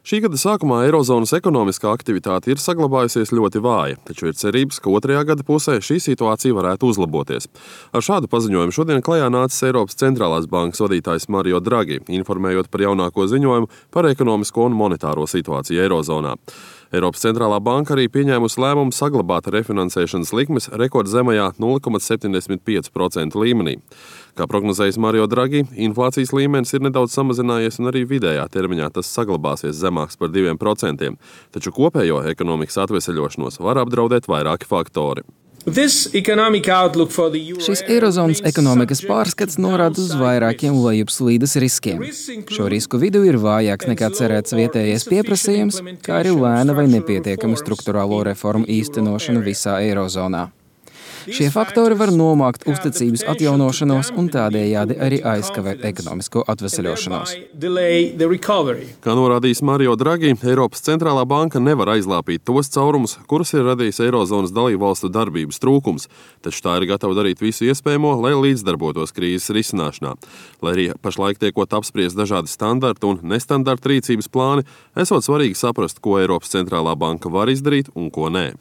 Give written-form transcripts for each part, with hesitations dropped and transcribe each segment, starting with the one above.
Šī gada sākumā Eirozonas ekonomiskā aktivitāte ir saglabājusies ļoti vāja, taču ir cerības, ka otrajā gada pusē šī situācija varētu uzlaboties. Ar šādu paziņojumu šodien klajā nācis Eiropas centrālās bankas vadītājs Mario Draghi, informējot par jaunāko ziņojumu par ekonomisko un monetāro situāciju Eirozonā. Eiropas centrālā banka arī pieņēmusi lēmumu saglabāt refinansēšanas likmes rekordzemajā 0,75% līmenī. Kā prognozējis Mario Draghi, inflācijas līmenis ir nedaudz samazinājies un arī vidējā termiņā tas saglabāsies zemāks par 2%, taču kopējo ekonomikas atveseļošanos var apdraudēt vairāki faktori. Šis Eirozonas ekonomikas pārskats norāda uz vairākiem lejupslīdes riskiem. Šo risku vidū ir vājāks nekā cerēts vietējais pieprasījums, kā arī lēna vai nepietiekama struktūrālo reformu īstenošana visā Eirozonā. Šie faktori var nomākt uzticības atjaunošanos un tādējādi arī aizkavēt ekonomisko atveseļošanos. Kā norādījis Mario Draghi, Eiropas centrālā banka nevar aizlāpīt tos caurumus, kurus ir radījis Eirozonas dalībvalstu darbības trūkums, taču tā ir gatava darīt visu iespējamo, lai līdzdarbotos krīzes risināšanā. Lai arī pašlaik tiekot apspriest dažādi standarta un nestandarta rīcības plāni, esot svarīgi saprast, ko Eiropas centrālā banka var izdarīt un ko nē.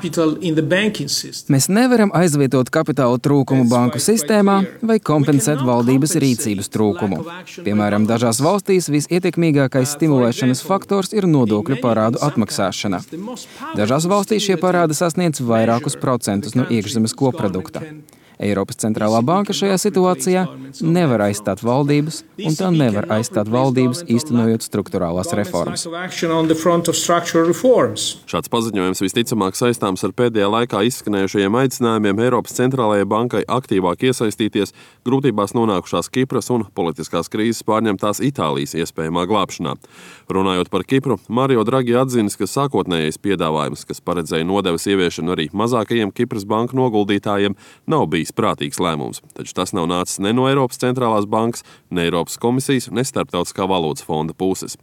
Mēs nevaram aizvietot kapitāla trūkumu banku sistēmā vai kompensēt valdības rīcības trūkumu. Piemēram, dažās valstīs visietekmīgākais stimulēšanas faktors ir nodokļu parādu atmaksāšana. Dažās valstīs šie parādi sasniedz vairākus procentus no iekšzemes koprodukta. Eiropas centrālā banka šajā situācijā nevar aizstāt valdības, un tā nevar aizstāt valdības, īstenojot struktūrālās reformas. Šāds paziņojums visticamāk saistāms ar pēdējā laikā izskanējušajiem aicinājumiem Eiropas centrālajai bankai aktīvāk iesaistīties grūtībās nonākušās Kipras un politiskās krīzes pārņemtās Itālijas iespējamā glābšanā. Runājot par Kipru, Mario Draghi atzinis, ka sākotnējais piedāvājums, kas paredzēja nodevas ieviešanu arī mazākajiem Kipras banku noguldītājiem, nav bijis prātīgs lēmums, taču tas nav nācis ne no Eiropas centrālās bankas, ne Eiropas komisijas, ne Starptautiskā valūtas fonda puses.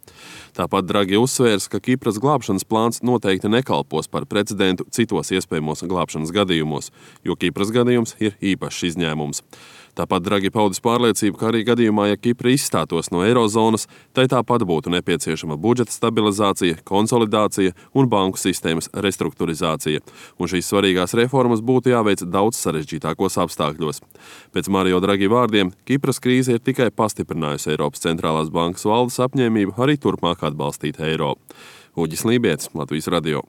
Tāpat Draghi uzsvērs, ka Kipras glābšanas plāns noteikti nekalpos par precedentu citos iespējamos glābšanas gadījumos, jo Kipras gadījums ir īpašs izņēmums. Tāpat Draghi paudis pārliecību, ka arī gadījumā, ja Kipra izstātos no Eirozonas, tai tāpat būtu nepieciešama budžeta stabilizācija, konsolidācija un banku sistēmas restruktūrizācija, un šīs svarīgās reformas būtu jāveic daudz sarežģītākos apstākļos. Pēc Mario Draghi vārdiem, Kipras krīze ir tikai pastiprinājusi Eiropas centrālās bankas valdes apņēmību arī turpmāk atbalstīt eiro. Uģis Lībietis, Latvijas radio.